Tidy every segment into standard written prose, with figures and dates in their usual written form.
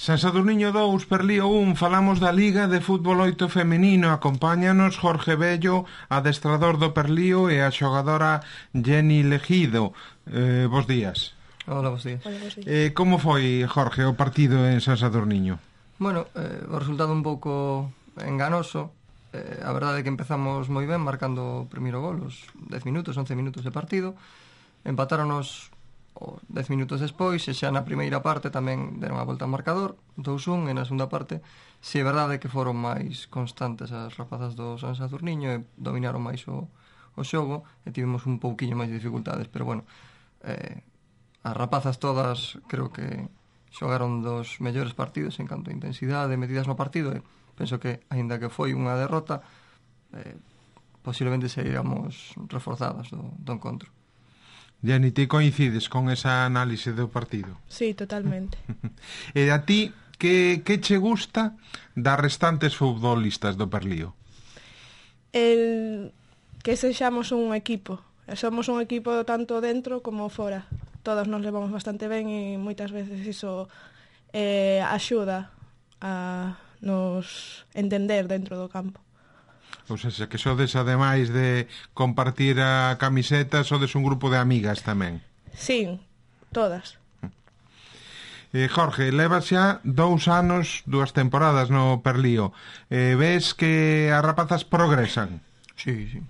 San Sadurniño 2, Perlío 1, falamos da Liga de Fútbol 8 femenino. Acompáñanos Jorge Bello, adestrador do Perlío, e a xogadora Jenny Legido. Bos días. Hola, bos días. Como foi, Jorge, o partido en San Sadurniño? Bueno, o resultado un pouco enganoso. A verdade é que empezamos moi ben, marcando o primeiro gol, os 10 minutos, 11 minutos de partido. Empatáronos 10 minutos despois, e xa na primeira parte tamén deron a volta ao marcador, 2-1, e na segunda parte si é verdade que foron máis constantes as rapazas do San Sadurniño e dominaron máis o xogo, e tivemos un pouquiño máis de dificultades, pero bueno, as rapazas todas creo que xogaron dos mellores partidos en canto a intensidade metidas no partido, e penso que, aínda que foi unha derrota, posiblemente saíamos reforzadas do encontro. Jenny, ti coincides con esa análise do partido? Sí, totalmente. E a ti, que che gusta das restantes futbolistas do Perlío? Que sexamos un equipo. Somos un equipo tanto dentro como fora. Todos nos levamos bastante ben e moitas veces iso axuda a nos entender dentro do campo. Ou seja, que sodes, ademais de compartir a camiseta, sodes un grupo de amigas tamén. Sí, todas. Jorge, levas xa 2 anos, 2 temporadas no Perlío. Ves que as rapazas progresan? Sí.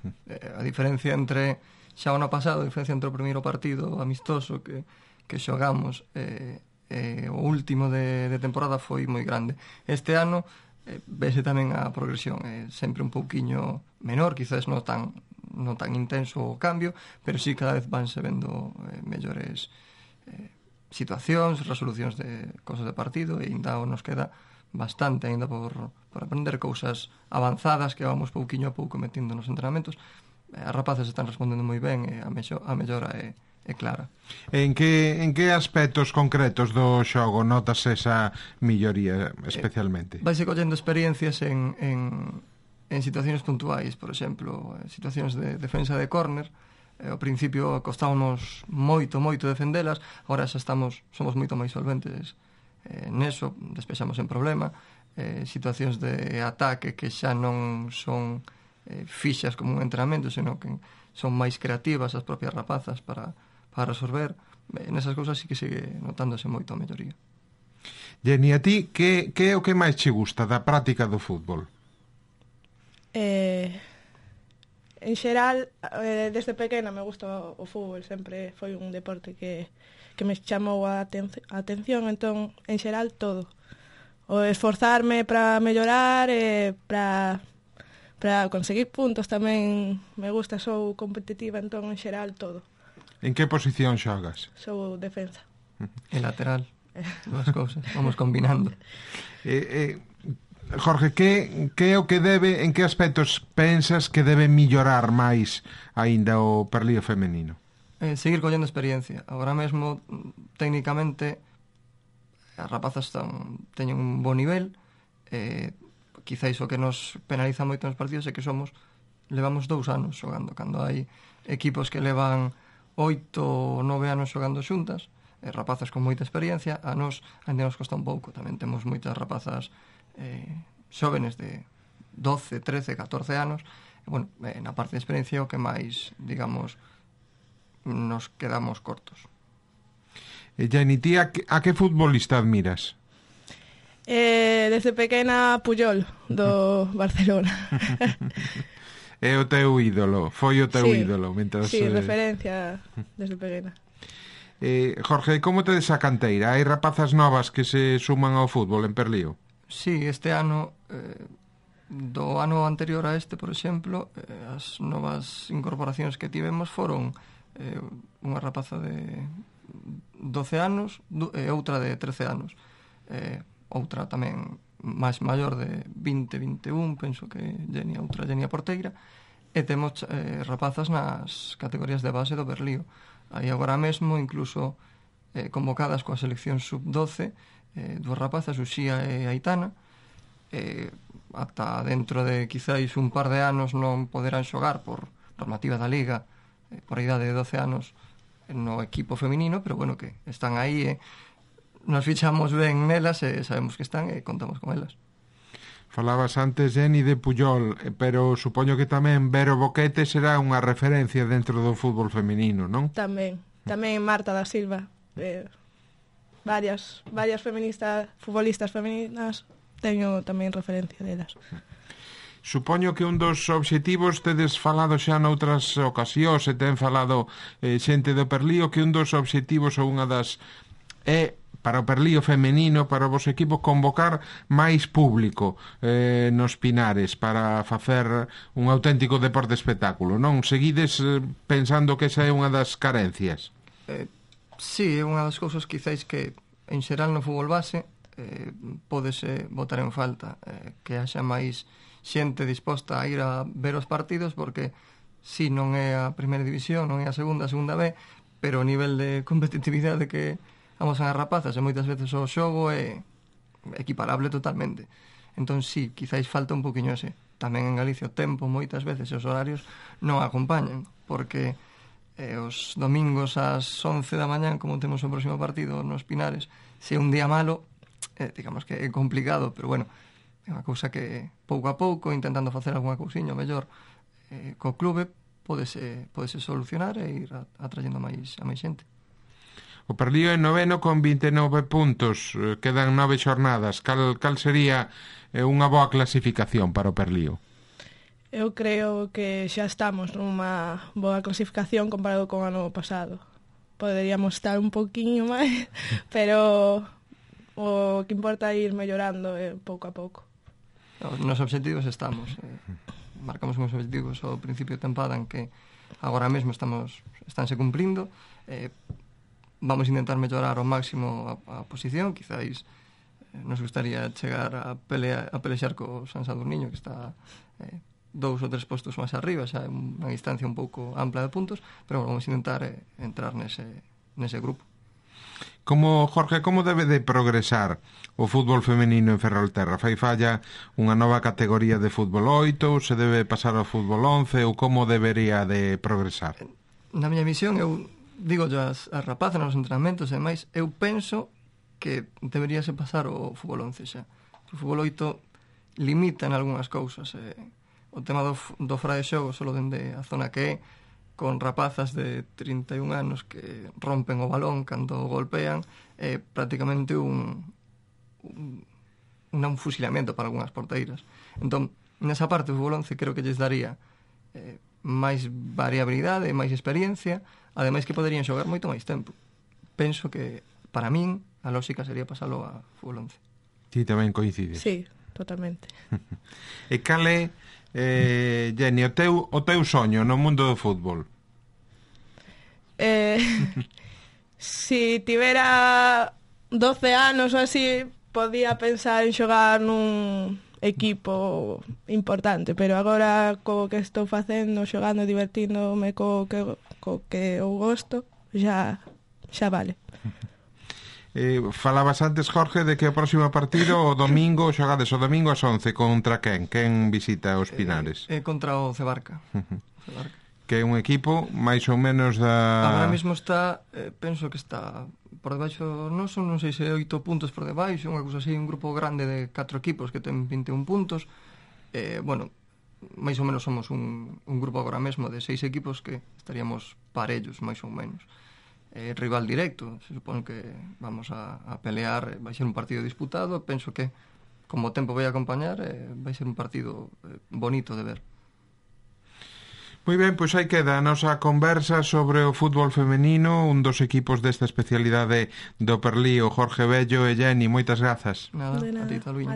A diferencia entre xa o ano pasado, a diferencia entre o primeiro partido amistoso que xogamos o último de temporada foi moi grande. Este ano vese tamén a progresión, sempre un pouquiño menor, quizás non tan intenso o cambio, pero sí cada vez vanse vendo mellores situacións, resolucións de cosas de partido, e ainda nos queda bastante ainda por aprender, cousas avanzadas que vamos pouquiño a pouco metendo nos entrenamentos. As rapazas están respondendo moi ben, e a mellora é clara. En que aspectos concretos do xogo notas esa melloría especialmente? Vaise collendo experiencias en situacións puntuais, por exemplo, situacións de defensa de córner. Ao principio costábamos moito defendelas, agora xa somos moito máis solventes neso, despexamos en problema. Situacións de ataque que xa non son fixas como un entrenamento, senón que son máis creativas as propias rapazas para resolver. Nesas cousas sí que sigue notándose moito a melloría. Jenny, a ti, que é o que máis che gusta da práctica do fútbol? En xeral, desde pequena me gusta o fútbol, sempre foi un deporte que me chamou a atención, entón, en xeral, todo. O esforzarme para mellorar, para conseguir puntos tamén me gusta, sou competitiva, entón, en xeral, todo. En que posición xogas? Sou defensa. E lateral, dúas cousas, vamos combinando. Jorge, que é o que en que aspectos pensas que debe mellorar máis aínda o Perlío femenino? Seguir collendo experiencia. Agora mesmo, técnicamente, as rapazas teñen un bo nivel, quizáis o que nos penaliza moito nos partidos é que levamos 2 anos xogando, cando hai equipos que levan 8 ou 9 anos xogando xuntas, rapazas con moita experiencia. A nos ainda nos costa un pouco, tamén temos moitas rapazas xóvenes de 12, 13, 14 anos, e, bueno, na parte de experiencia o que máis, digamos, nos quedamos cortos. Jenny, ti a que futbolista admiras? Desde pequena, Puyol, do Barcelona. É o teu ídolo, foi o teu ídolo mentras... Sí, referencia desde pequena. Jorge, como tedes a canteira? Hai rapazas novas que se suman ao fútbol en Perlío? Sí, este ano, do ano anterior a este, por exemplo, as novas incorporacións que tivemos foron unha rapaza de 12 anos e outra de 13 anos. Outra tamén máis maior de 20, 21, penso que outra Jenny a porteira, e temos rapazas nas categorías de base do Perlío. Aí agora mesmo, incluso convocadas coa selección sub-12, 2 rapazas, Uxía e Aitana, ata dentro de quizáis un par de anos non poderán xogar por normativa da Liga, por a idade de 12 anos no equipo feminino, pero bueno, que están aí nos fichamos ben nelas e sabemos que están e contamos con elas. Falabas antes, Jenny, de Puyol, pero supoño que tamén Vero Boquete será unha referencia dentro do fútbol feminino, non? Tamén Marta da Silva, varias futbolistas femininas, teño tamén referencia delas. Supoño que un dos obxectivos, tedes falado xa noutras ocasións e ten falado xente do Perlío, que un dos obxectivos ou unha das para o Perlío femenino, para o vos equipo, convocar máis público nos Pinares para facer un auténtico deporte espectáculo, non? Seguides pensando que esa é unha das carencias? Sí, é unha das cousas quizáis que en xeral no fútbol base pódese botar en falta, que haxa máis xente disposta a ir a ver os partidos, porque si non é a primeira división, non é a segunda B, pero o nivel de competitividade que amosan as rapazas e moitas veces o xogo é equiparable totalmente. Entón, sí, quizáis falta un poquinho ese. Tamén en Galicia o tempo, moitas veces, os horarios non acompañan, porque os domingos ás 11 da mañán, como temos o próximo partido nos Pinares, se un día malo, digamos que é complicado, pero bueno, é unha cousa que pouco a pouco, intentando facer algunha cousiña mellor co clube, podese solucionar e ir atrayendo a máis xente. O Perlío é noveno con 29 puntos, quedan 9 xornadas. Cal sería unha boa clasificación para o Perlío? Eu creo que xa estamos nunha boa clasificación comparado con o ano pasado. Poderíamos estar un poquinho máis, pero o que importa é ir mellorando pouco a pouco. Nos obxectivos estamos. Marcamos uns obxectivos ao principio de tempada en que agora mesmo estánse cumprindo. Vamos a intentar mellorar ao máximo a posición. Quizáis nos gustaría chegar a pelexar co San Sadurniño, que está 2 ou 3 postos máis arriba, xa é unha distancia un pouco ampla de puntos, pero bueno, vamos a intentar entrar nese grupo. Jorge, como debe de progresar o fútbol femenino en Ferrolterra? Fai falla unha nova categoría de fútbol 8, ou se debe pasar ao fútbol 11, ou como debería de progresar? Na miña visión, eu digo as rapazas nos entrenamentos e máis, eu penso que deberíase pasar o fútbol 11 xa. O fútbol 8 limita en algunhas cousas. O tema do fora de xogo solo dende a zona que é, con rapazas de 31 anos que rompen o balón cando golpean, é prácticamente un fusilamiento para algunhas porteiras. Entón, nesa parte o fútbol 11 creo que lles daría máis variabilidade, máis experiencia, ademais que poderían xogar moito máis tempo. Penso que, para min, a lógica sería pasalo a fútbol 11. Ti tamén coincides? Sí, totalmente. E cal é, Jenny, o teu soño no mundo do fútbol? Si tivera 12 anos ou así, podía pensar en xogar nun equipo importante, pero agora co que estou facendo, xogando, divertíndome co que eu gosto, xa vale. Falabas antes, Jorge, de que o próximo partido o domingo, xogades o domingo ás 11, contra quen? Quen visita os Pinares? Contra o Cebarca. Que é un equipo máis ou menos da... Agora mesmo está, penso que está por debaixo noso, non sei se 8 puntos por debaixo, unha cousa así, un grupo grande de 4 equipos que ten 21 puntos. Bueno, máis ou menos somos un grupo agora mesmo de 6 equipos que estaríamos parellos, máis ou menos. Rival directo, se supone que vamos a pelear, vai ser un partido disputado, penso que como o tempo vai acompañar, vai ser un partido bonito de ver. Moi ben, pois aí queda a nosa conversa sobre o fútbol femenino, un dos equipos desta especialidade do Perlío, Jorge Bello e Jenny, moitas grazas. Nada, a ti, Taluíño.